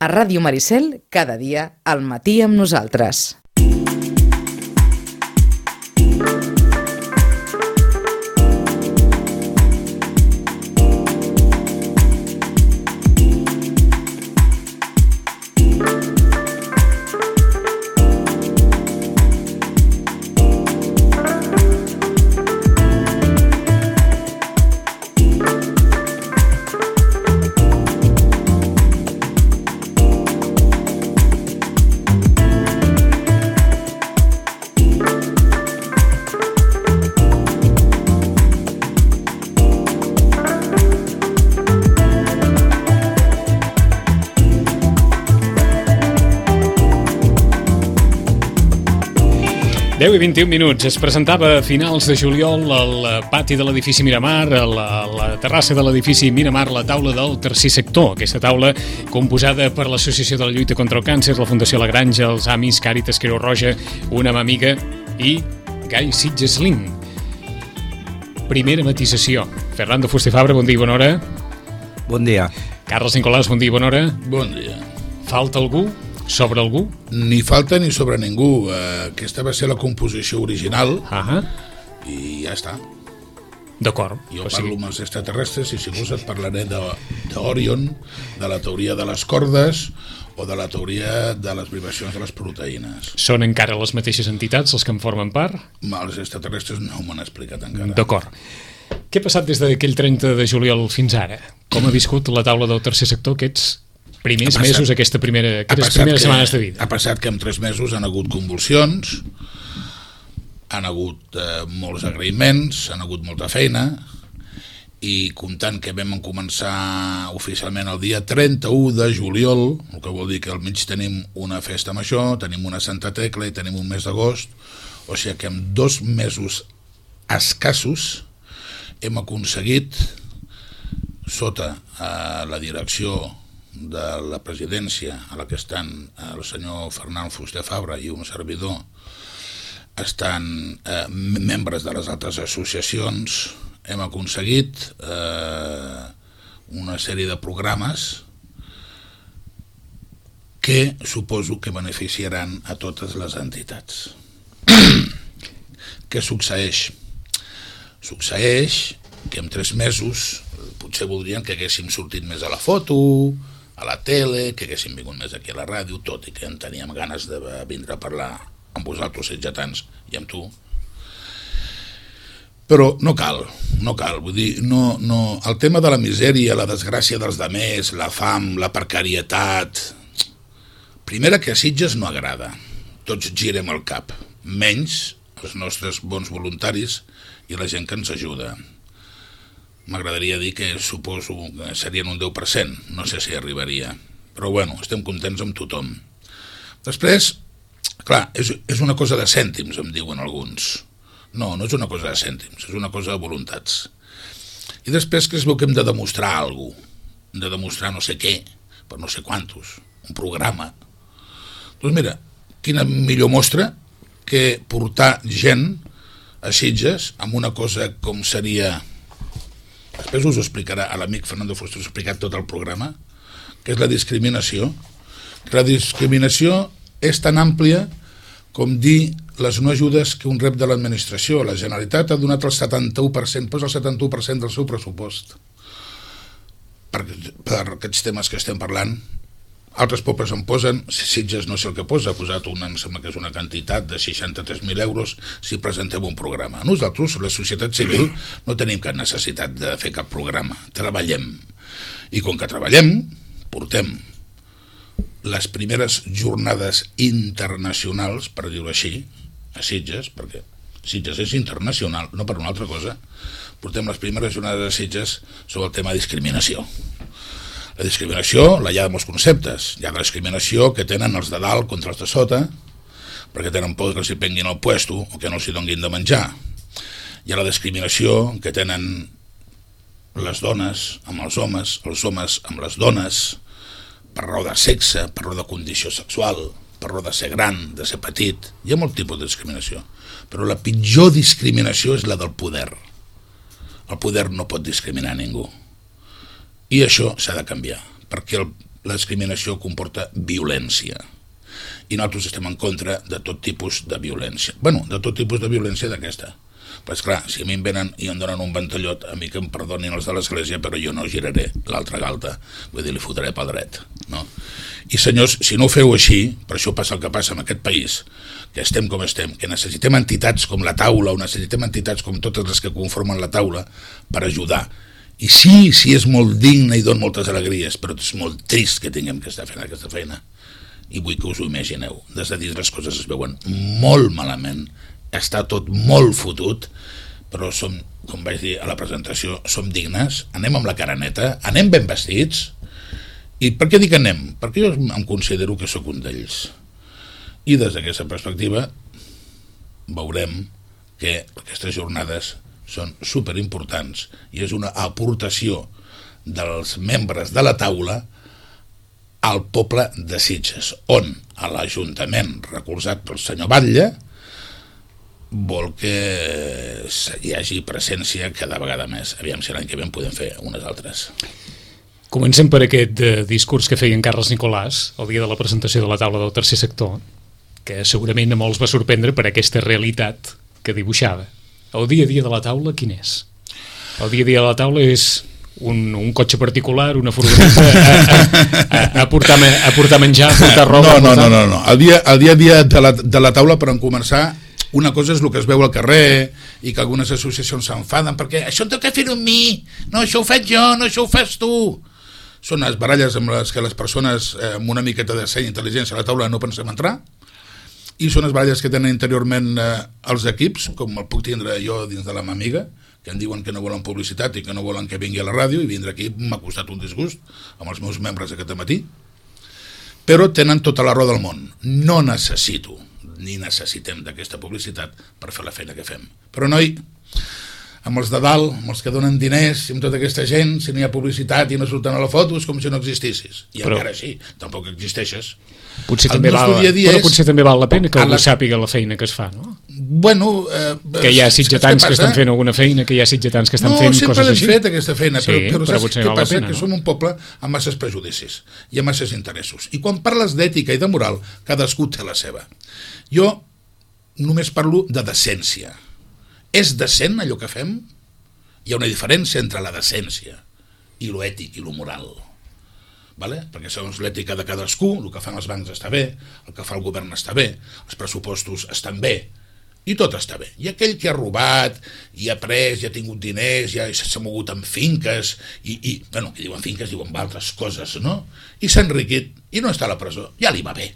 A Ràdio Maricel, cada dia al matí amb nosaltres. Deu i 21 minuts. Es presentava a finals de juliol al pati de l'edifici Miramar, a la terrassa de l'edifici Miramar, la taula del tercer sector. Aquesta taula composada per l'Associació de la Lluita contra el Càncer, la Fundació La Granja, els Amis, Càritas, Creu Roja, Una Mà Amiga i Gai Sitges Link. Primera matisació. Fernando Fuster Fabra, bon dia i bona hora. Bon dia. Carles Nicolàs, bon dia i bona hora. Bon dia. Falta algú? Sobre algú? Ni falta ni sobre ningú. Aquesta va ser la composició original i ja està. D'acord. Jo parlo amb els extraterrestres i si vols et parlaré d'Orion, de la teoria de les cordes o de la teoria de les vibracions de les proteïnes. Són encara les mateixes entitats els que en formen part? Els extraterrestres no m'han explicat encara. D'acord. Què ha passat des d'aquell 30 de juliol fins ara? Com ha viscut la taula del tercer sector aquests primers mesos, aquestes primeres setmanes de vida? Ha passat que en 3 mesos han hagut convulsions, han hagut molts agraïments, han hagut molta feina, i comptant que vam començar oficialment el dia 31 de juliol, el que vol dir que al mig tenim una festa major, tenim una Santa Tecla i tenim un mes d'agost, o sigui que en 2 mesos escassos hem aconseguit, sota la direcció de la presidència a la que estan el senyor Fernando Fuster Fabra i un servidor, estan membres de les altres associacions, hem aconseguit una sèrie de programes que suposo que beneficiaran a totes les entitats. Què succeeix? Succeeix que en 3 mesos potser voldrien que haguéssim sortit més a la foto, a la tele, que haguéssim vingut més aquí a la ràdio, tot i que en teníem ganes de vindre a parlar amb vosaltres sitgetans i amb tu. Però no cal, vull dir, el tema de la misèria, la desgràcia dels demés, la fam, la precarietat, primera que a Sitges no agrada, tots girem el cap, menys els nostres bons voluntaris i la gent que ens ajuda. M'agradaria dir que suposo que serien un 10%, no sé si arribaria, però bueno, estem contents amb tothom. Després, clar, és una cosa de cèntims, em diuen alguns. No és una cosa de cèntims, és una cosa de voluntats. I després que es veu que hem de demostrar alguna cosa, hem de demostrar no sé què, per no sé quantos, un programa. Doncs mira, quina millor mostra que portar gent a Sitges amb una cosa com seria... Després us ho explicarà, a l'amic Fernando Fuster us ha explicat tot el programa, que és la discriminació. La discriminació és tan àmplia com dir les no ajudes que un rep de l'administració. La Generalitat ha donat el 71%, posa el 71% del seu pressupost per aquests temes que estem parlant. Altres pobles en posen, Sitges no sé el que posa, ha posat em sembla que és una quantitat de 63.000 euros si presentem un programa. Nosaltres, la societat civil, no tenim cap necessitat de fer cap programa, treballem. I com que treballem, portem les primeres jornades internacionals, per dir-ho així, a Sitges, perquè Sitges és internacional, no per una altra cosa, portem les primeres jornades a Sitges sobre el tema de discriminació. La discriminació la hi ha de molts conceptes. Hi ha la discriminació que tenen els de dalt contra els de sota, perquè tenen por que els hi prenguin el puesto o que no els hi donguin de menjar. Hi ha la discriminació que tenen les dones amb els homes amb les dones, per raó de sexe, per raó de condició sexual, per raó de ser gran, de ser petit. Hi ha molt tipus de discriminació. Però la pitjor discriminació és la del poder. El poder no pot discriminar ningú. I això s'ha de canviar, perquè la discriminació comporta violència. I nosaltres estem en contra de tot tipus de violència. Bueno, de tot tipus de violència d'aquesta. Però esclar, si a mi em venen i em donen un ventallot, a mi que em perdonin els de l'església, però jo no giraré l'altra galta, vull dir, li fotré pel dret, no? I senyors, si no ho feu així, per això passa el que passa en aquest país, que estem com estem, que necessitem entitats com la taula, o necessitem entitats com totes les que conformen la taula per ajudar. I sí, és molt digne i dona moltes alegries, però és molt trist que tinguem que estar fent aquesta feina. I vull que us ho imagineu. Des de dins les coses es veuen molt malament, està tot molt fotut, però som, com vaig dir a la presentació, som dignes, anem amb la cara neta, anem ben vestits. I per què dic anem? Perquè jo em considero que sóc un d'ells. I des d'aquesta perspectiva veurem que aquestes jornades són superimportants i és una aportació dels membres de la taula al poble de Sitges, on a l'Ajuntament, recolzat pel senyor Batlle, vol que hi hagi presència cada vegada més. Aviam si l'any que ve en podem fer unes altres. Comencem per aquest discurs que feia en Carles Nicolàs el dia de la presentació de la taula del tercer sector, que segurament a molts va sorprendre per aquesta realitat que dibuixava. El dia a dia de la taula, quin és? El dia a dia de la taula és un cotxe particular, una furgoneta, a portar menjar, a portar roba... No. El dia a dia de la taula, per començar, una cosa és el que es veu al carrer i que algunes associacions s'enfaden perquè això en tot que fer-ho amb mi, no, això ho faig jo, no, això ho fas tu. Són les baralles amb les que les persones amb una miqueta de seny i intel·ligència a la taula no pensem entrar, i són les baralles que tenen interiorment els equips, com el puc tindre jo dins de la meva amiga, que em diuen que no volen publicitat i que no volen que vingui a la ràdio, i vindre aquí m'ha costat un disgust amb els meus membres aquest matí, però tenen tota la raó del món. No necessito ni necessitem d'aquesta publicitat per fer la feina que fem. Però noi, amb els de dalt, amb els que donen diners, amb tota aquesta gent, si no hi ha publicitat i no surten a la foto, és com si no existissis. I però, encara així, tampoc existeixes. Potser també val la pena que algú sàpiga la feina que es fa, no? Bueno... que hi ha sitgetans que estan fent alguna feina, que hi ha sitgetans que estan fent coses així. No, sempre l'hem fet aquesta feina, però saps què passa? Que som un poble amb masses prejudicis i amb masses interessos. I quan parles d'ètica i de moral, cadascú té la seva. Jo només parlo de decència. És decent allò que fem? Hi ha una diferència entre la decència i lo ètic i lo moral. Vale? Perquè segons l'ètica de cadascú, el que fan els bancs està bé, el que fa el govern està bé, els pressupostos estan bé, i tot està bé. I aquell que ha robat, i ha pres, i ha tingut diners, i s'ha mogut amb finques, bueno, que diuen finques, diuen altres coses, no? I s'ha enriquit, i no està a la presó, ja li va bé.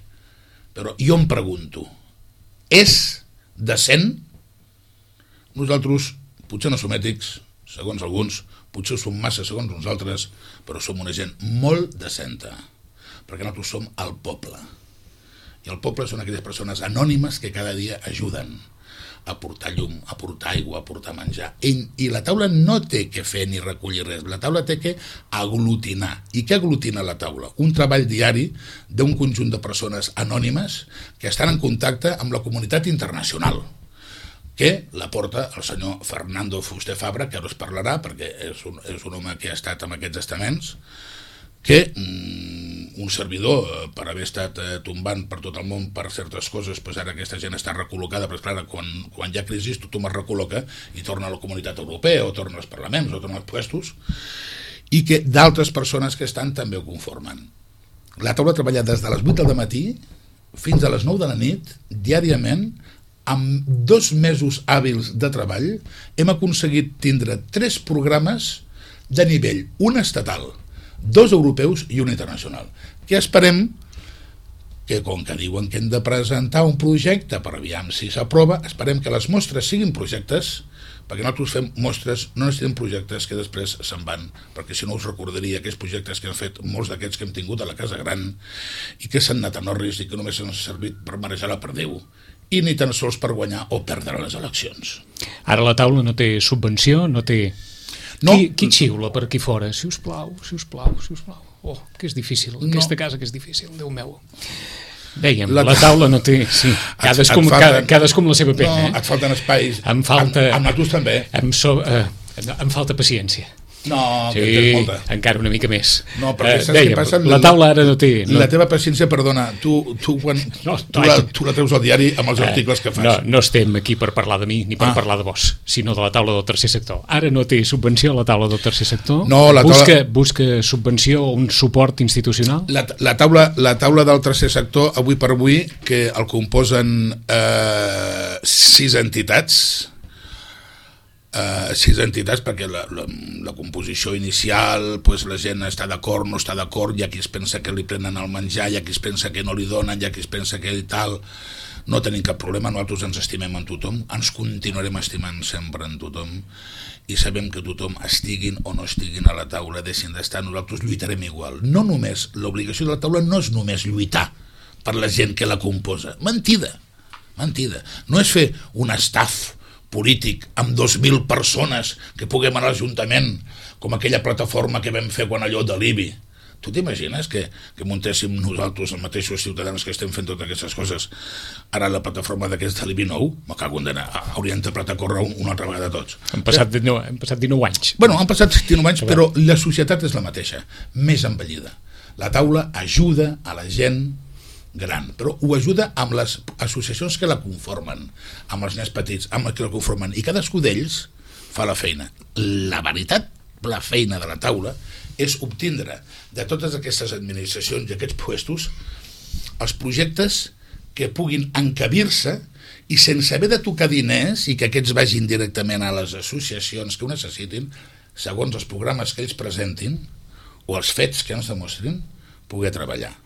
Però jo em pregunto, és decent? Nosaltres potser no som ètics, segons alguns, potser som massa segons nosaltres, però som una gent molt decenta, perquè nosaltres som el poble. I el poble són aquelles persones anònimes que cada dia ajuden a portar llum, a portar aigua, a portar menjar. I la taula no té que fer ni recollir res, la taula té que aglutinar. I què aglutina la taula? Un treball diari d'un conjunt de persones anònimes que estan en contacte amb la comunitat internacional, que la porta el senyor Fernando Fuster Fabra, que ara us parlarà, perquè és un home que ha estat en aquests estaments, que un servidor, per haver estat tombant per tot el món per certes coses, doncs ara aquesta gent està recol·locada, però clar, quan hi ha crisi tothom es recol·loca i torna a la comunitat europea, o torna als parlaments, o torna als puestos, i que d'altres persones que estan també ho conformen. La taula treballa des de les 8 del matí fins a les 9 de la nit, diàriament. Amb 2 mesos hàbils de treball hem aconseguit tindre 3 programes de nivell, un estatal, 2 europeus i un internacional, que esperem que, com que diuen que hem de presentar un projecte per aviam si s'aprova, esperem que les mostres siguin projectes, perquè nosaltres fem mostres, no necessitem projectes que després se'n van, perquè si no us recordaria aquells projectes que han fet molts d'aquests que hem tingut a la Casa Gran i que s'han anat a Norris i que només han servit per marejar la perdiu i ni tan sols per guanyar o perdre les eleccions. Ara la taula no té subvenció, no té... No. Qui xiula per aquí fora? Si us plau. Oh, que és difícil, aquesta casa que és difícil, Déu meu. Dèiem, la taula no té... Sí, cadascú amb la seva pena. No, et falten espais. Em falta... Amb nosaltres també. Em falta paciència. No, sí, que tens molta. Encara una mica més. No, perquè saps què passa? La taula ara no té... La teva paciència, perdona, tu quan tu la treus al diari amb els articles que fas. No estem aquí per parlar de mi ni per parlar de vos, sinó de la taula del tercer sector. Ara no té subvenció a la taula del tercer sector? No, busca subvenció o un suport institucional? La taula del tercer sector, avui per avui, que el composen 6 entitats, perquè la composició inicial, pues, la gent està d'acord, no està d'acord, hi ha qui es pensa que li prenen el menjar, hi ha qui es pensa que no li donen, hi ha qui es pensa que i tal. No tenim cap problema, nosaltres ens estimem en tothom, ens continuarem estimant sempre en tothom, i sabem que tothom estiguin o no estiguin a la taula, deixin d'estar, nosaltres lluitarem igual. No només, l'obligació de la taula no és només lluitar per la gent que la composa, mentida, no és fer un staff polític amb 2.000 persones que puguem anar a l'Ajuntament, com aquella plataforma que vam fer quan allò de l'IBI. Tu t'imagines que muntéssim nosaltres, els mateixos ciutadans que estem fent totes aquestes coses, ara la plataforma d'aquest de l'IBI nou? Me cago en d'anar, haurien de a córrer una altra vegada tots. Han passat 19 anys. Bueno, han passat 19 anys, però la societat és la mateixa, més envellida. La taula ajuda a la gent gran, però ho ajuda amb les associacions que la conformen, amb els nens petits, amb els que la conformen, i cadascú d'ells fa la feina. La veritat, la feina de la taula és obtindre de totes aquestes administracions i aquests puestos els projectes que puguin encabir-se i sense haver de tocar diners i que aquests vagin directament a les associacions que ho necessitin, segons els programes que ells presentin o els fets que ens demostrin, poder treballar.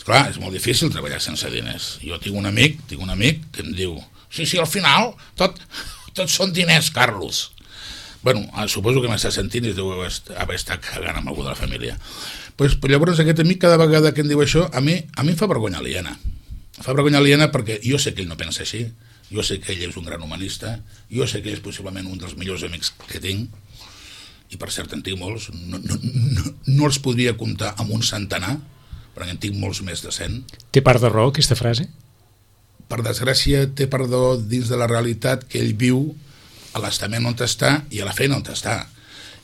Clar, és molt difícil treballar sense diners. Jo tinc un amic que em diu sí, al final tot són diners, Carlos. Bueno, suposo que m'està sentint i deu haver estat cagant amb algú de la família. Pues, llavors aquest amic cada vegada que em diu això a mi em fa vergonya aliena. Fa vergonya aliena perquè jo sé que ell no pensa així, jo sé que ell és un gran humanista, jo sé que ell és possiblement un dels millors amics que tinc, i per cert en tinc molts, no els podria comptar amb un centenar, perquè en tinc molts més de 100. Té part de raó aquesta frase? Per desgràcia té part de raó dins de la realitat que ell viu a l'estament on està i a la feina on està.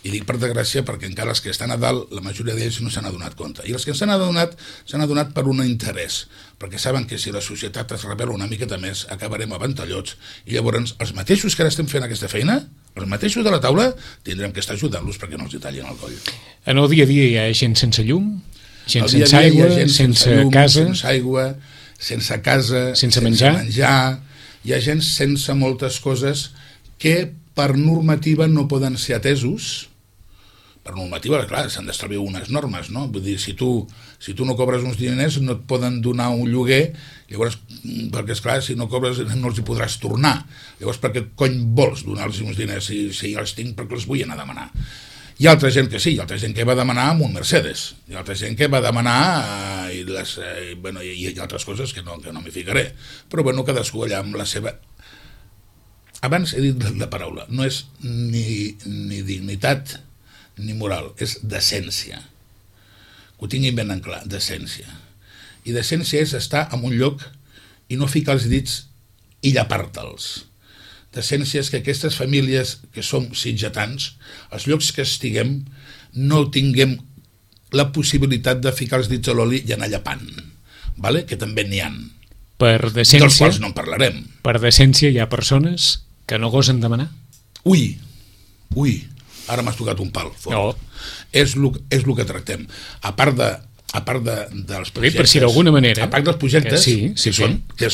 I dic per desgràcia perquè encara els que estan a dalt, la majoria d'ells no s'han adonat compte. I els que s'han adonat per un interès, perquè saben que si la societat es revela una miqueta més, acabarem a ventallots, i llavors els mateixos que ara estem fent aquesta feina, els mateixos de la taula, tindrem que estar ajudant-los perquè no els hi tallin el coll. En el dia a dia hi ha gent sense llum, gent sense aigua, sense casa, sense aigua, sense casa, sense menjar. Hi ha gent sense moltes coses que per normativa no poden ser atesos. Per normativa, clar, s'han d'establir unes normes, no? Vull dir, si tu no cobres uns diners no et poden donar un lloguer, llavors, perquè esclar, si no cobres no els hi podràs tornar. Llavors, per què cony vols donar-los uns diners si els tinc perquè els vull anar a demanar? Hi ha altra gent que sí, hi ha altra gent que va demanar amb un Mercedes, hi ha altra gent que va demanar i hi ha altres coses que no m'hi ficaré, però bueno, cadascú allà amb la seva... Abans he dit la paraula, no és ni dignitat ni moral, és decència. Que ho tinguin ben en clar, decència. I decència és estar en un lloc i no ficar els dits i llepar-te'ls. Decència és que aquestes famílies que som sitgetans, els llocs que estiguem, no tinguem la possibilitat de ficar els dits a l'oli i anar llepant, vale? Que també n'hi ha. Per decència, dels quals no en parlarem. Per decència hi ha persones que no gosen demanar? Ui, ara m'has tocat un pal fort. No. És el que tractem. A part dels projectes... Per si d'alguna manera... A part dels projectes, que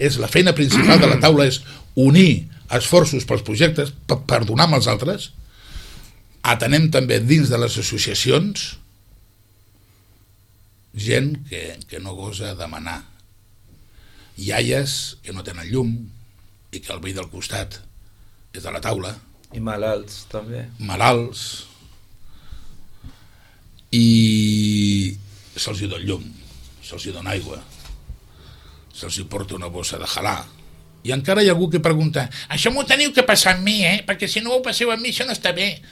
és la feina principal de la taula, és unir esforços pels projectes, per donar amb els altres. Atenem també dins de les associacions gent que no gosa demanar. Iaies que no tenen llum i que el veí del costat és de la taula. I malalts, també. Malalts. I se'ls hi dona llum, se'ls hi dona aigua, se'ls hi porta una bossa de halà. I encara hi ha algú que pregunta, això m'ho teniu que passar amb mi, perquè si no ho passeu amb mi això no està bé.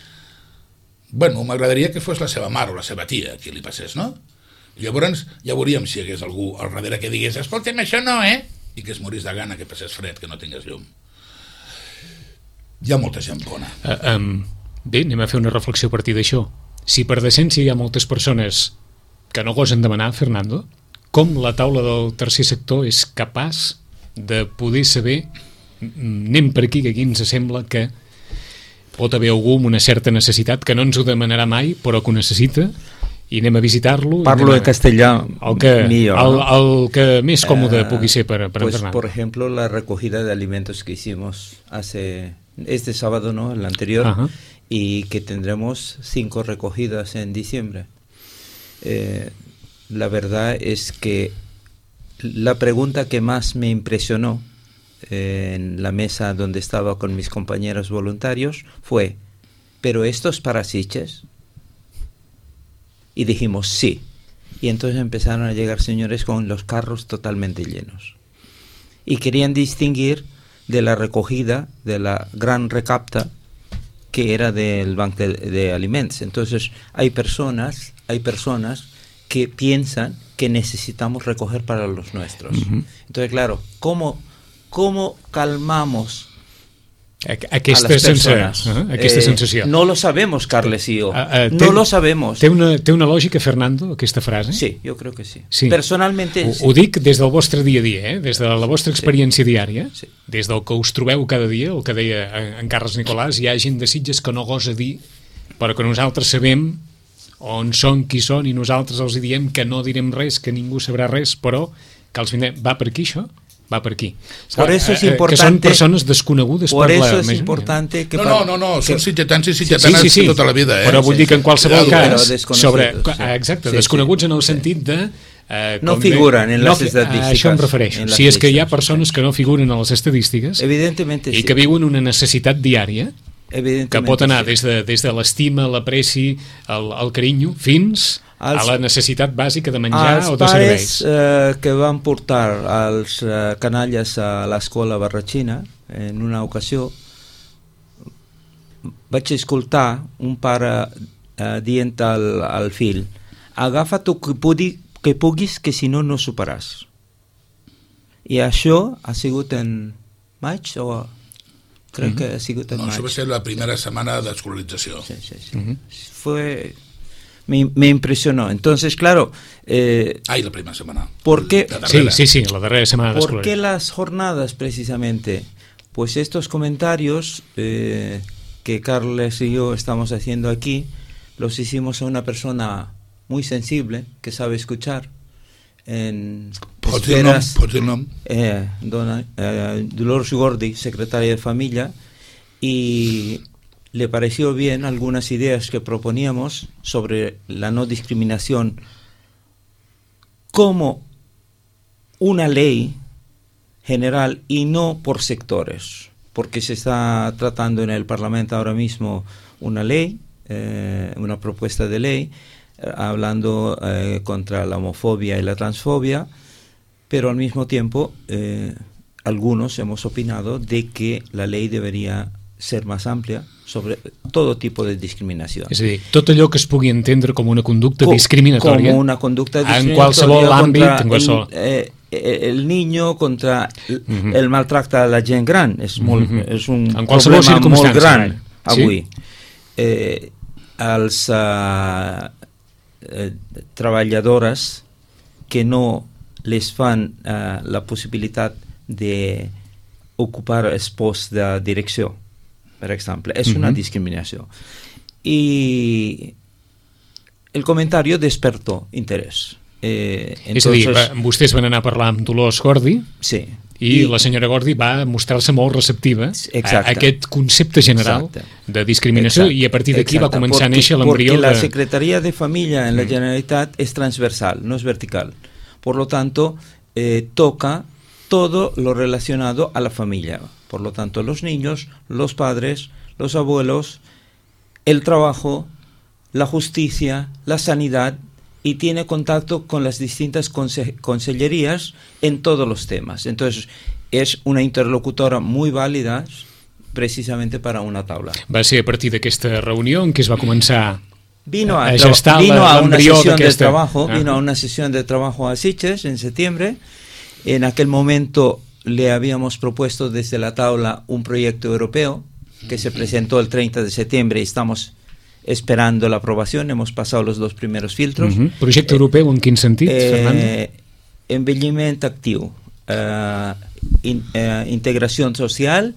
Bueno, m'agradaria que fos la seva mare o la seva tia qui li passés, no? I llavors ja veuríem si hi hagués algú al darrere que digués, escolta'm, això no, i que es morís de gana, que passés fred, que no tingués llum. Hi ha molta gent bona. Bé, anem a fer una reflexió a partir d'això. Si per decència hi ha moltes persones que no gosen demanar, Fernando, com la taula del tercer sector és capaç de poder saber, anem per aquí, que aquí ens sembla que pot haver algú amb una certa necessitat que no ens ho demanarà mai, però que ho necessita, i anem a visitar-lo. Parlo de castellà millor, ¿no? El que més còmode pugui ser per pues, Fernando. Por ejemplo, la recogida de alimentos que hicimos este sábado, ¿no? El anterior, Ajá. Y que tendremos 5 recogidas en diciembre. La verdad es que la pregunta que más me impresionó en la mesa donde estaba con mis compañeros voluntarios fue: ¿pero esto es para Sitges? Y dijimos sí. Y entonces empezaron a llegar señores con los carros totalmente llenos. Y querían distinguir de la recogida, de la gran recapta, que era del banco de alimentos. Entonces hay personas que piensan que necesitamos recoger para los nuestros. Uh-huh. Entonces, claro, ¿cómo calmamos aquesta a las personas? Aquesta sensació. No lo sabemos, Carles y yo. No lo sabemos. Té una lògica, Fernando, aquesta frase? Sí, yo creo que sí. Sí. Personalmente... Ho dic des del vostre dia a dia, des de la vostra experiència diària, Sí. des del que us trobeu cada dia, el que deia en Carles Nicolàs, hi ha gent de Sitges que no gosa dir, però que nosaltres sabem on són, qui són, i nosaltres els diem que no direm res, que ningú sabrà res, però que els vindrem. Va per aquí, això? Va per aquí. Por eso es importante, que són persones desconegudes por per la eso es majoria. importante que... No, són sitgetans i sitgetanes sí. tota la vida, Però vull dir que en qualsevol cas sobre... sí. Exacte, Sí, desconeguts sí. en el sentit de... No figuren en les estadístiques. A això em refereixo. Si és que hi ha persones que no figuren a les estadístiques Evidentemente i sí. que viuen una necessitat diària que pot anar sí. des de l'estima, l'apreci, el carinyo, fins a la necessitat bàsica de menjar o de serveis. Els pares que van portar els canalles a l'escola barratxina, en una ocasió, vaig escoltar un pare dient al fill: agafa't que puguis, que si no, no superàs. I això ha sigut en maig o... Crec que ha sigut en maig. Això va ser la primera setmana d'escolarització. Sí. Me impresionó. Entonces, claro... La primera semana. ¿Por qué? Sí, la darrera semana de ¿Por qué las jornadas, precisamente? Pues estos comentarios que Carles y yo estamos haciendo aquí, los hicimos a una persona muy sensible, que sabe escuchar. Pots dir el nom? Dolors Gordi, secretaria de Familia, y le pareció bien algunas ideas que proponíamos sobre la no discriminación como una ley general y no por sectores, porque se está tratando en el Parlamento ahora mismo una ley, una propuesta de ley, hablando contra la homofobia y la transfobia, pero al mismo tiempo algunos hemos opinado de que la ley debería ser más amplia sobre todo tipo de discriminació. És a dir, tot allò que es pugui entendre com una conducta discriminatòria, com una conducta discriminatòria en qualsevol àmbit, en qualsevol... el niño contra el maltracte a la gent gran és un problema molt gran avui. Els treballadores que no les fan la possibilitat d'ocupar els posts de direcció, per exemple, és una discriminació. I el comentari despertó interès. És a dir, vostès van anar a parlar amb Dolors Gordi, sí, i la senyora Gordi va mostrar-se molt receptiva a aquest concepte general de discriminació, i a partir d'aquí va començar a néixer l'embrió de... Porque la Secretaría de Familia en la Generalitat es transversal, no es vertical. Por lo tanto, toca todo lo relacionado a la familia. Por lo tanto, los niños, los padres, los abuelos, el trabajo, la justicia, la sanidad, y tiene contacto con las distintas consellerías en todos los temas. Entonces, es una interlocutora muy válida precisamente para una taula. Va ser a partir d'aquesta reunió en què es va començar vino a una sesión de trabajo a Sitges en septiembre. En aquel momento le habíamos propuesto desde la taula un proyecto europeo que se presentó el 30 de septiembre y estamos esperando la aprobación, hemos pasado los 2 primeros filtros. Projecte europeu en quin sentit, Fernando? Envelliment actiu, integració social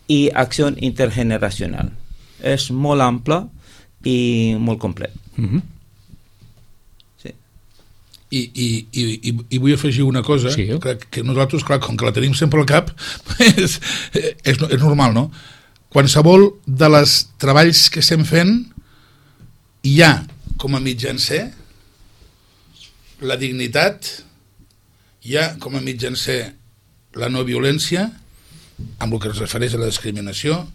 i acció intergeneracional. És molt ample i molt complet. Sí. I vull afegir una cosa, sí, que nosaltres, clar, com que la tenim sempre al cap, és normal, no? Qualsevol de les treballs que estem fent hi ha com a mitjancer la dignitat, hi ha com a mitjancer la no violència, amb el que es refereix a la discriminació,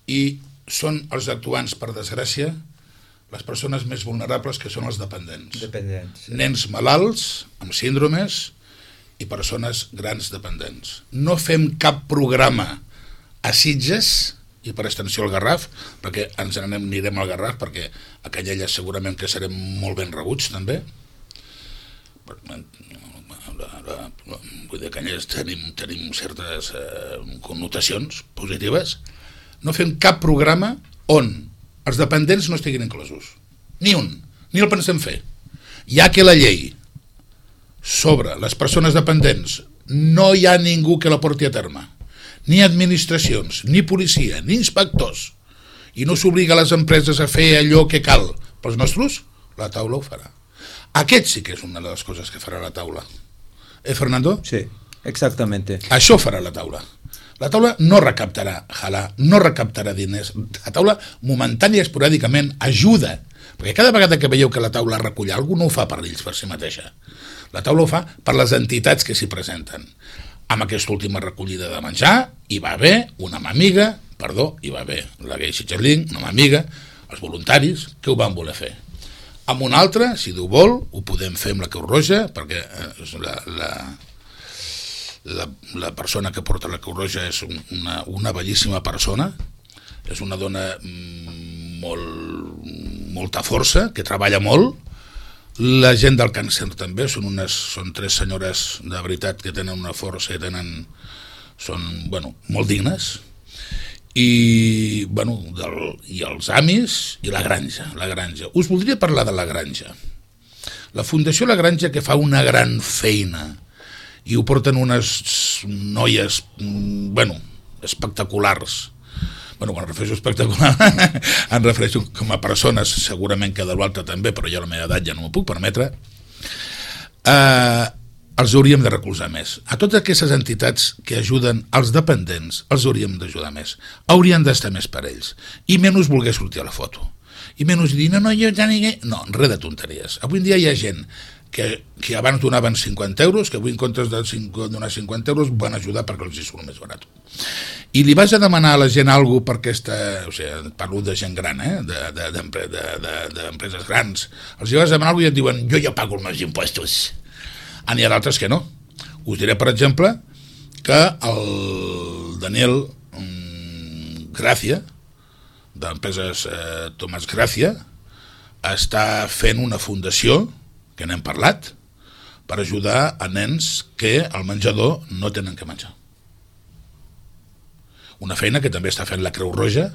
i són els actuants, per desgràcia, les persones més vulnerables, que són els dependents. Sí. Nens malalts, amb síndromes, i persones grans dependents. No fem cap programa a Sitges, i per extensió al Garraf, perquè anirem al Garraf, perquè a Canyelles segurament que serem molt ben rebuts també. Vull dir, a Canyelles tenim certes connotacions positives. No fem cap programa on els dependents no estiguin inclosos. Ni un, ni el pensem fer. Ja que la llei sobre les persones dependents no hi ha ningú que la porti a terme, ni administracions, ni policia, ni inspectors, i no s'obliga a les empreses a fer allò que cal pels nostres, la taula ho farà. Aquest sí que és una de les coses que farà la taula. Fernando? Sí, exactamente. Això farà la taula. La taula no recaptarà no recaptarà diners. La taula momentània i esporàdicament ajuda, perquè cada vegada que veieu que la taula recull alguna cosa, no ho fa per ells, per si mateixa. La taula ho fa per les entitats que s'hi presenten. Amb aquesta última recollida de menjar hi va haver una mamiga, hi va haver la Gay Sitges Link, una mamiga, els voluntaris que ho van voler fer. Amb una altra, si Déu vol, ho podem fer amb la Creu Roja, perquè la persona que porta la Creu Roja és una bellíssima persona, és una dona molta força, que treballa molt. La gent del càncer també són 3 senyores de veritat que tenen una força i són molt dignes, i els amis i la granja. Us voldria parlar de la granja. La Fundació La Granja, que fa una gran feina, i ho porten unes noies espectaculars. Quan refereixo espectacular em refereixo com a persones, segurament que de l'altre també, però ja a la meva edat ja no m'ho puc permetre. Els hauríem de recolzar més. A totes aquestes entitats que ajuden els dependents els hauríem d'ajudar més. Haurien d'estar més per ells, i menys voler sortir a la foto, i menys dir no, res de tonteries. Avui en dia hi ha gent que abans donaven 50 euros, que avui en comptes de donar 50 euros van ajudar perquè els hi surt més barat. I li vas a demanar a la gent alguna cosa per parlo de gent gran, d'empreses grans, els hi vas a demanar alguna cosa i et diuen jo ja pago els meus impostos. N'hi ha d'altres que no. Us diré, per exemple, que el Daniel Gracia, d'empreses Tomàs Gracia, està fent una fundació, que n'hem parlat, per ajudar a nens que al menjador no tenen que menjar. Una feina que també està fent la Creu Roja,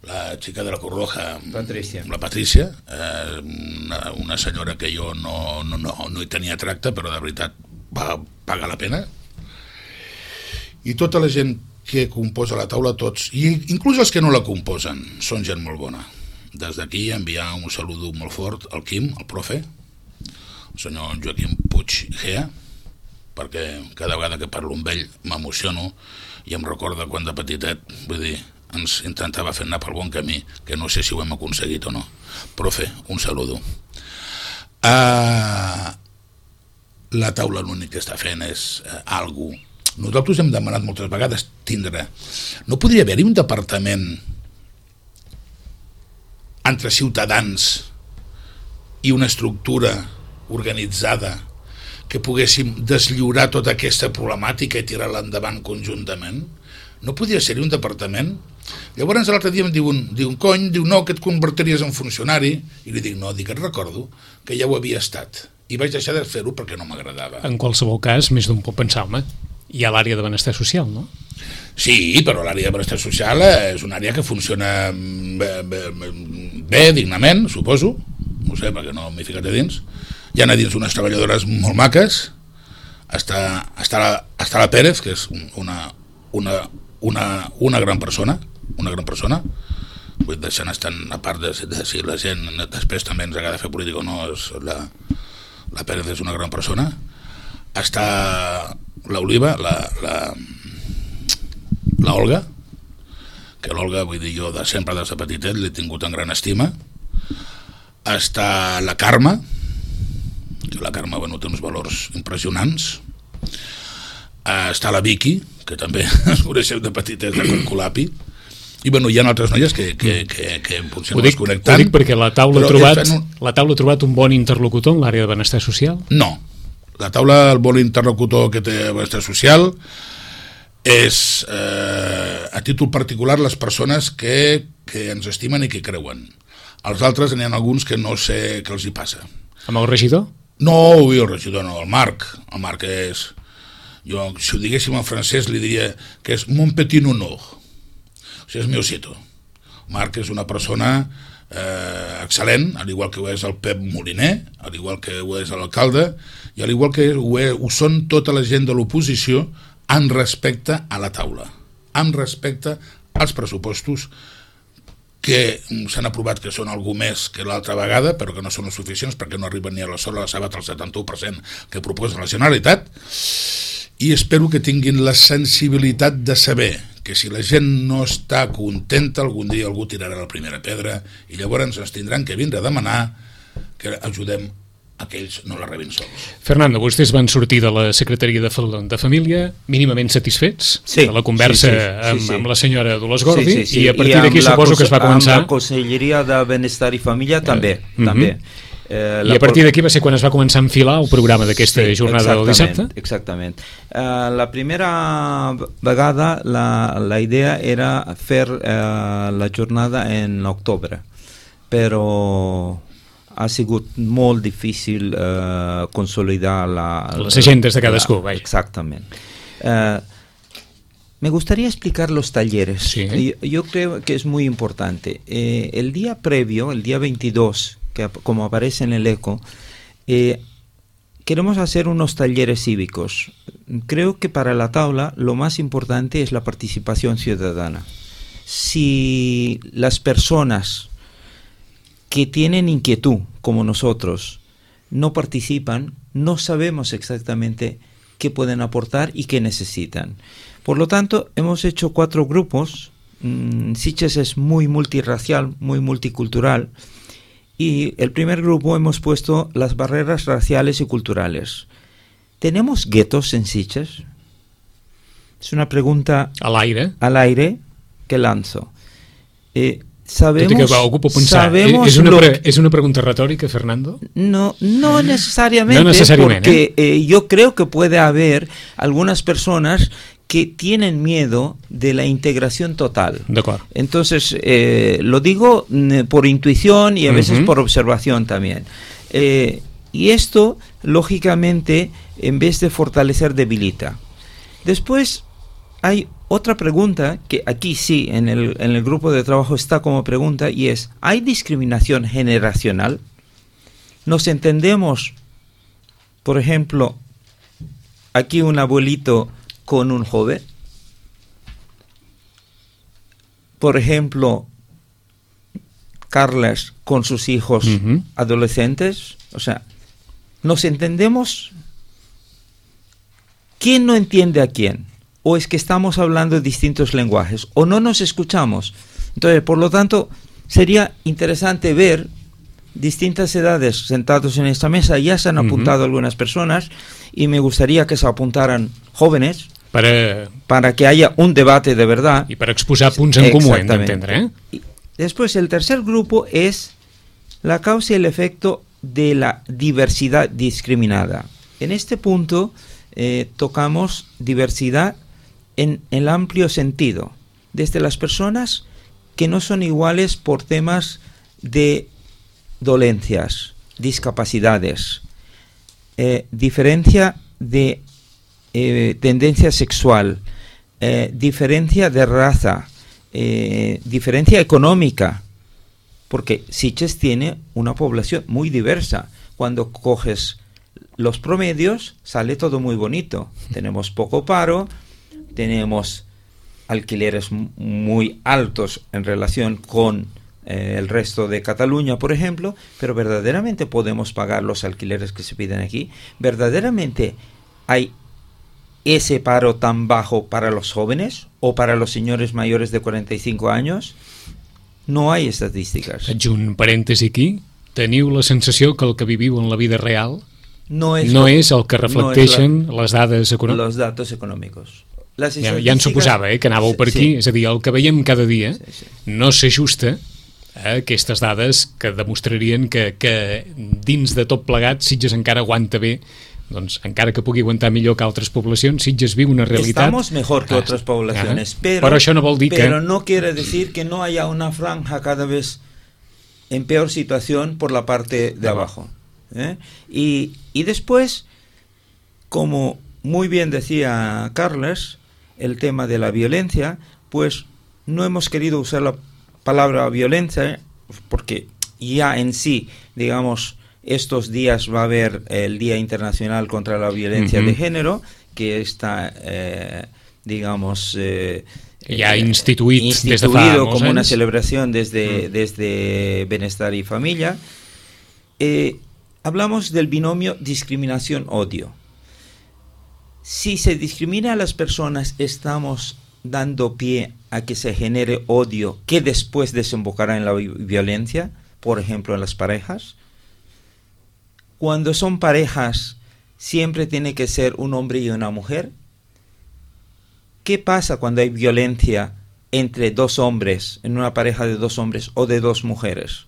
la xica de la Creu Roja, la Patrícia, una senyora que jo no hi tenia tracte, però de veritat paga la pena. I tota la gent que composa la taula, tots, i inclús els que no la composen, són gent molt bona. Des d'aquí enviar un saludo molt fort al Quim, al profe, el senyor Joaquim Puig Gea, perquè cada vegada que parlo amb ell m'emociono i em recorda quan de petitet, vull dir, ens intentava fer anar pel bon camí, que no sé si ho hem aconseguit o no. Profe, un saludo. La taula l'únic que està fent és alguna cosa. Nosaltres hem demanat moltes vegades tindre... No podria haver-hi un departament entre ciutadans i una estructura organitzada que poguéssim deslliurar tota aquesta problemàtica i tirar-la endavant conjuntament? No podia ser-hi un departament? Llavors l'altre dia em diu no, que et convertiries en funcionari, i li dic, no, et recordo que ja ho havia estat i vaig deixar de fer-ho perquè no m'agradava. En qualsevol cas, més d'un pot pensar, home, hi ha l'àrea de benestar social, no? Sí, però l'àrea de benestar social és una àrea que funciona bé, dignament, suposo, no sé, perquè no m'he ficat a dins. Hi ha a dins unes treballadores molt maques, està la Pérez, que és una gran persona, vull deixant estar a part de si la gent després també ens agrada fer política o no, la Pérez és una gran persona. Està l'Oliva, la Olga, que l'Olga, vull dir, jo sempre des de petitet l'he tingut en gran estima. Està la Carme, que la Carme, bueno, té uns valors impressionants. Està la Vicky, que també ens coneixem de petitet de Colapi. I bueno, hi ha altres noies que potser no es connecten. Ho dic perquè la taula ha trobat un bon interlocutor en l'àrea de benestar social? No, la taula, el bon interlocutor que té benestar social és a títol particular les persones que ens estimen i que creuen. Els altres n'hi ha alguns que no sé què els hi passa. Amb el regidor? No, el regidor no, el Marc és, jo si ho diguéssim en francès li diria que és mon petit honor, o sigui, és mi osito. Marc és una persona excel·lent, al igual que ho és el Pep Moliner, al igual que ho és l'alcalde, i al igual que ho són tota la gent de l'oposició, en respecte a la taula, en respecte als pressupostos que s'han aprovat, que són algú més que l'altra vegada, però que no són els suficients perquè no arriben ni a la sola la sabat al 71% que proposa la Generalitat, i espero que tinguin la sensibilitat de saber que si la gent no està contenta, algun dia algú tirarà la primera pedra i llavors ens tindran que vindre a demanar que ajudem a que ells no la rebin sols. Fernando, vostès van sortir de la Secretaria de Família mínimament satisfets de la conversa amb la senyora Dolors Gordi, i a partir d'aquí suposo que es va començar... Amb la Conselleria de Benestar i Família també. I a partir d'aquí va ser quan es va començar a enfilar el programa d'aquesta jornada del dissabte? Exactament. La primera vegada la idea era fer la jornada en octubre, però ha sigut molt difícil consolidar les agendes de cadascú. Exactament. Me gustaría explicar los talleres. Sí. Yo creo que es muy importante. El día previo, el día 22, que como aparece en el ECO, queremos hacer unos talleres cívicos. Creo que para la tabla lo más importante es la participación ciudadana. Si las personas que tienen inquietud, como nosotros, no participan, no sabemos exactamente qué pueden aportar y qué necesitan. Por lo tanto, hemos hecho 4 grupos. Sitges es muy multirracial, muy multicultural, y el primer grupo hemos puesto las barreras raciales y culturales. ¿Tenemos guetos en Sitges? Es una pregunta al aire que lanzo. Sabemos, ¿Es una pregunta retórica, Fernando? No necesariamente, porque yo creo que puede haber algunas personas que tienen miedo de la integración total. Entonces, lo digo por intuición y a veces por observación también. Y esto, lógicamente, en vez de fortalecer, debilita. Después, hay otra pregunta que aquí sí, en el grupo de trabajo está como pregunta, y es, ¿hay discriminación generacional? ¿Nos entendemos, por ejemplo, aquí un abuelito con un joven? Por ejemplo, Carles con sus hijos adolescentes. O sea, ¿nos entendemos? ¿Quién no entiende a quién? ¿O es que estamos hablando distintos lenguajes? ¿O no nos escuchamos? Entonces, por lo tanto, sería interesante ver distintas edades sentados en esta mesa. Ya se han apuntado algunas personas y me gustaría que se apuntaran jóvenes para que haya un debate de verdad. Y para exposar punts en comú, hem d'entendre. Después, el tercer grupo es la causa y el efecto de la diversidad discriminada. En este punto tocamos diversidad en el amplio sentido, desde las personas que no son iguales por temas de dolencias, discapacidades, diferencia de tendencia sexual, diferencia de raza, diferencia económica, porque Sitges tiene una población muy diversa. Cuando coges los promedios, sale todo muy bonito. Tenemos poco paro, tenemos alquileres muy altos en relación con el resto de Cataluña, por ejemplo, pero verdaderamente podemos pagar los alquileres que se piden aquí. Verdaderamente hay ese paro tan bajo para los jóvenes o para los señores mayores de 45 años. No hay estadísticas. Faig un parèntesi aquí. Teniu la sensació que el que viviu en la vida real no és el que reflecteixen les dades econòmiques? Els datos econòmics. Ja en suposava, que anàveu per aquí. És a dir, el que veiem cada dia no s'ajusta a aquestes dades que demostrarien que dins de tot plegat Sitges encara aguanta bé. Doncs encara que pugui aguantar millor que altres poblacions, Sitges viu una realitat... Estamos mejor que otras poblaciones, pero això no vol dir pero no quiere decir que no haya una franja cada vez en peor situación por la parte de abajo. Y después, como muy bien decía Carles, el tema de la violencia, pues no hemos querido usar la palabra violencia porque ya en sí, digamos, estos días va a haber el Día Internacional contra la Violencia de Género, que está, digamos... ja instituït des de fa molts como anys. una celebración desde Bienestar y Familia. Hablamos del binomio discriminación-odio. Si se discrimina a las personas, estamos dando pie a que se genere odio que después desembocará en la violencia, por ejemplo en las parejas. Cuando son parejas, siempre tiene que ser un hombre y una mujer. ¿Qué pasa cuando hay violencia entre dos hombres, en una pareja de dos hombres o de dos mujeres?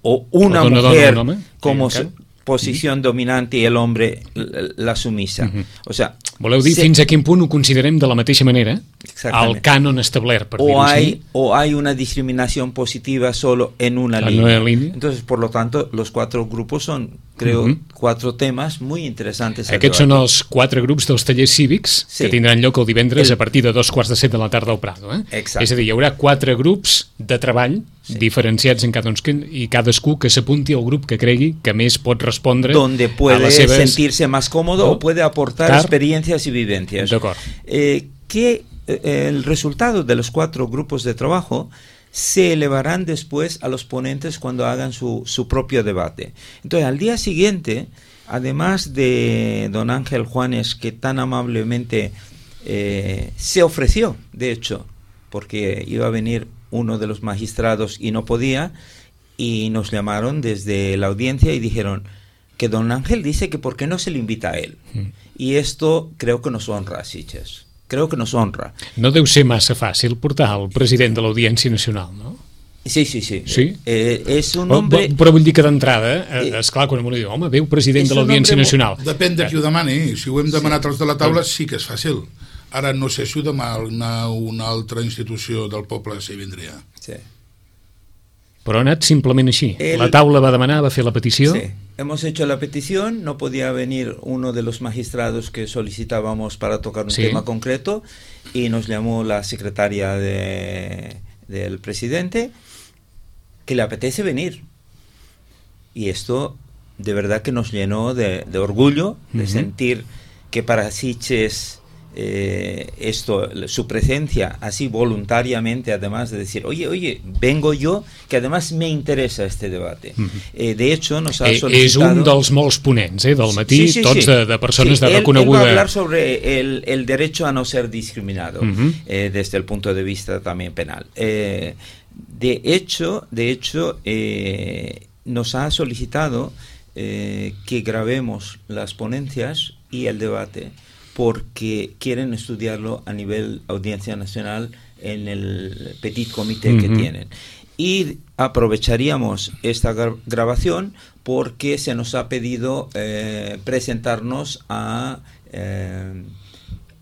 O una mujer como posición dominante y el hombre la sumisa. O sea, voleu dir fins a quin punt ho considerem de la mateixa manera al cànon establert, per dir-ho així? O hay una discriminación positiva solo en una línea. Entonces, por lo tanto, los 4 grupos son, creo, 4 temas muy interesantes. Aquests són els 4 grups dels tallers cívics que tindran lloc el divendres a partir de 2:15 de la tarda al Prado. És a dir, hi haurà 4 grups de treball diferenciats en i cadascú que s'apunti al grup que cregui que més pot respondre donde puede a les seves... sentirse más cómodo o puede aportar experiencias y vivencias. Que el resultado de los 4 grupos de trabajo se elevarán después a los ponentes cuando hagan su propio debate. Entonces, al día siguiente, además de don Ángel Juanes, que tan amablemente se ofreció, de hecho, porque iba a venir uno de los magistrados y no podía, y nos llamaron desde la audiencia y dijeron que don Ángel dice que por qué no se le invita a él. Y esto creo que nos honra a Sitges. Creo que nos honra. No deu ser massa fàcil portar el president de l'Audiència Nacional, no? Sí. És un hombre... Però vull dir que d'entrada, esclar, quan m'ho diu, home, veu president de l'Audiència Nacional. Depèn de qui ho demani. Si ho hem demanat els de la taula, sí que és fàcil. Ara no sé si ho demana una altra institució del poble si vindria. Sí. Però ha anat simplement així. La taula va demanar, va fer la petició. Sí, hemos hecho la petición, no podía venir uno de los magistrados que solicitábamos para tocar un tema concreto y nos llamó la secretaria del presidente que le apetece venir. Y esto de verdad que nos llenó de orgullo, de sentir que para Sitges su presencia así voluntariamente, además de decir oye, vengo yo, que además me interesa este debate. De hecho nos ha solicitado... És un dels molts ponents del matí, tots de persones de reconeguda... Él va a hablar sobre el derecho a no ser discriminado, desde el punto de vista también penal. De hecho nos ha solicitado que grabemos las ponencias y el debate, porque quieren estudiarlo a nivel Audiencia Nacional en el petit comité que tienen. Y aprovecharíamos esta grabación porque se nos ha pedido presentarnos a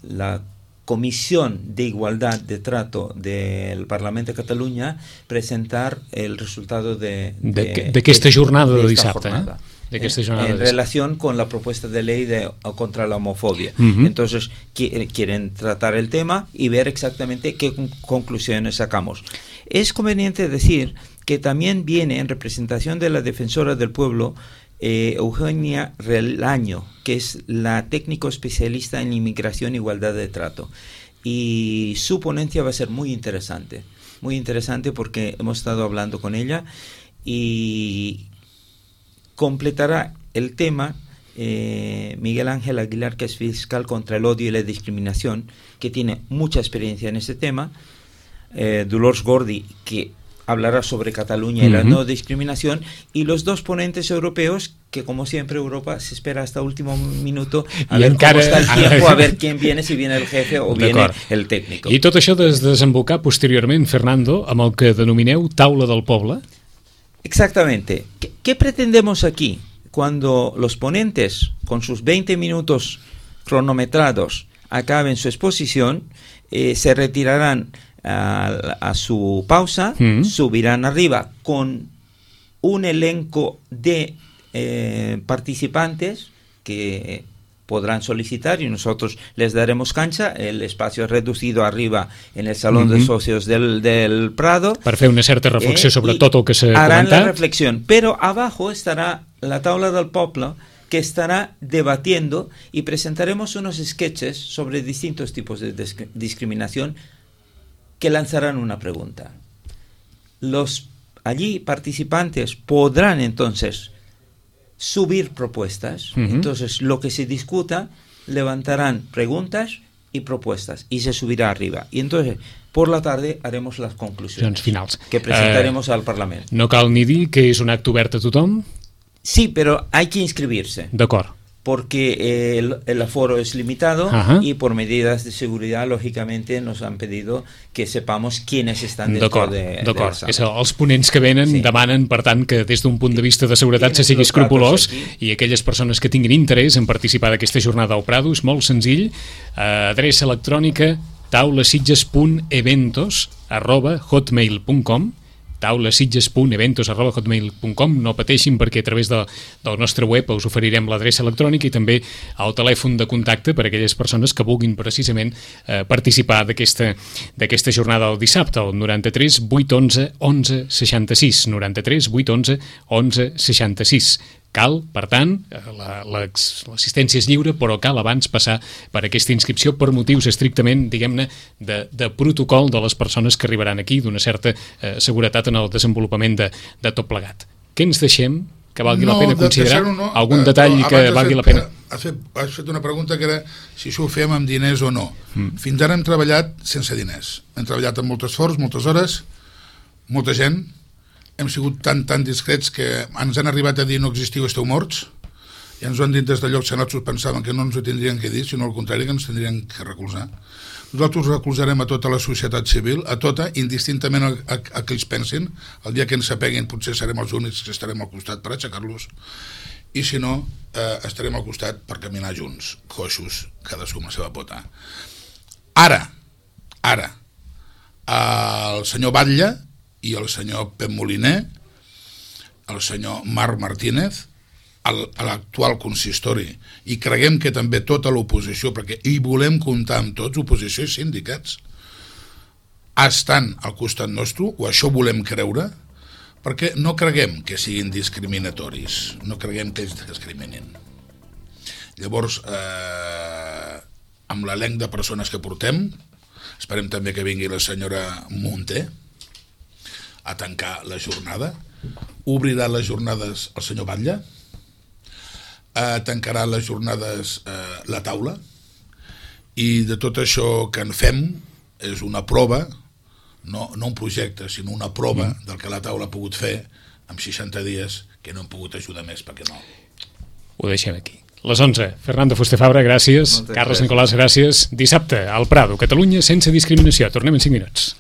la Comisión de Igualdad de Trato del Parlamento de Catalunya, presentar el resultado d'aquesta jornada de dissabte. d'aquesta jornada. En relación con la propuesta de ley contra la homofobia. Entonces, quieren tratar el tema y ver exactamente qué conclusiones sacamos. Es conveniente decir que también viene en representación de la defensora del pueblo Eugenia Relaño, que es la técnico especialista en inmigración e igualdad de trato. Y su ponencia va a ser muy interesante porque hemos estado hablando con ella y completará el tema Miguel Ángel Aguilar, que es fiscal contra el odio y la discriminación, que tiene mucha experiencia en este tema, Dolors Gordi, que hablará sobre Cataluña y la no discriminación, y los dos ponentes europeos, que como siempre Europa se espera hasta último minuto a ver cómo está el tiempo, a ver quién viene, si viene el jefe o viene el técnico. I tot això desembocar posteriorment, Fernando, amb el que denomineu Taula del Poble? Exactamente. ¿Qué pretendemos aquí? Cuando los ponentes, con sus 20 minutos cronometrados, acaben su exposición, se retirarán a su pausa, subirán arriba con un elenco de participantes que podrán solicitar y nosotros les daremos cancha. El espacio es reducido arriba en el Salón de Socios del Prado. Per fer una certa reflexió sobre tot el que s'ha harán comentat. la reflexión, pero abajo estará la Taula del Poble, que estará debatiendo, y presentaremos unos sketches sobre distintos tipos de discriminación que lanzarán una pregunta. Los allí participantes podrán entonces subir propuestas. Entonces lo que se discuta, levantarán preguntas y propuestas y se subirá arriba. Y entonces por la tarde haremos las conclusiones finals que presentaremos al Parlamento. No cal ni dir que és un acte obert a tothom? Sí, pero hay que inscribirse. D'acord. Porque el aforo es limitado y por medidas de seguridad, lógicamente, nos han pedido que sepamos quiénes están dentro de la sala. Els ponents que venen demanen, per tant, que des d'un punt de vista de seguretat se sigui escrupolós, i aquelles persones que tinguin interès en participar d'aquesta jornada al Prado, és molt senzill, adreça electrònica taulasitges.eventos@hotmail.com, taulasitges.eventos@hotmail.com. No pateixin, perquè a través del nostre web us oferirem l'adreça electrònica i també el telèfon de contacte per a aquelles persones que vulguin precisament participar d'aquesta jornada del dissabte, el 93 811 11 66, 93 811 11 66. Cal, per tant, l'assistència és lliure, però cal abans passar per aquesta inscripció per motius estrictament, diguem-ne, de protocol de les persones que arribaran aquí, d'una certa seguretat en el desenvolupament de tot plegat. Què ens deixem que valgui la pena considerar? Algun detall que valgui la pena? Has fet una pregunta que era si això ho fem amb diners o no. Fins ara hem treballat sense diners. Hem treballat amb molt esforç, moltes hores, molta gent. Hem sigut tan discrets que ens han arribat a dir no existiu, esteu morts, i ens ho han dit des de llocs que nosaltres pensaven que no ens ho tindrien que dir, sinó al contrari, que ens tindrien que recolzar. Nosaltres recolzarem a tota la societat civil, a tota, indistintament a que ells pensin. El dia que ens apeguin potser serem els únics que estarem al costat per aixecar-los, i si no, estarem al costat per caminar junts, coixos, cadascú amb la seva pota. Ara, el senyor Batlle i el senyor Pep Moliner, el senyor Marc Martínez, a l'actual consistori, i creguem que també tota l'oposició, perquè hi volem comptar amb tots, oposició i sindicats, estan al costat nostre, o això volem creure, perquè no creguem que siguin discriminatoris, no creguem que ells discriminin. Llavors, amb l'elenc de persones que portem, esperem també que vingui la senyora Munté a tancar la jornada, obrirà les jornades el senyor Batlle, tancarà les jornades la taula, i de tot això que en fem és una prova, no un projecte, sinó una prova del que la taula ha pogut fer en 60 dies, que no hem pogut ajudar més perquè no. Ho deixem aquí. Les 11. Fernando Fuster Fabra, gràcies. Carles Nicolàs, gràcies. Dissabte, al Prado, Catalunya sense discriminació. Tornem en 5 minuts.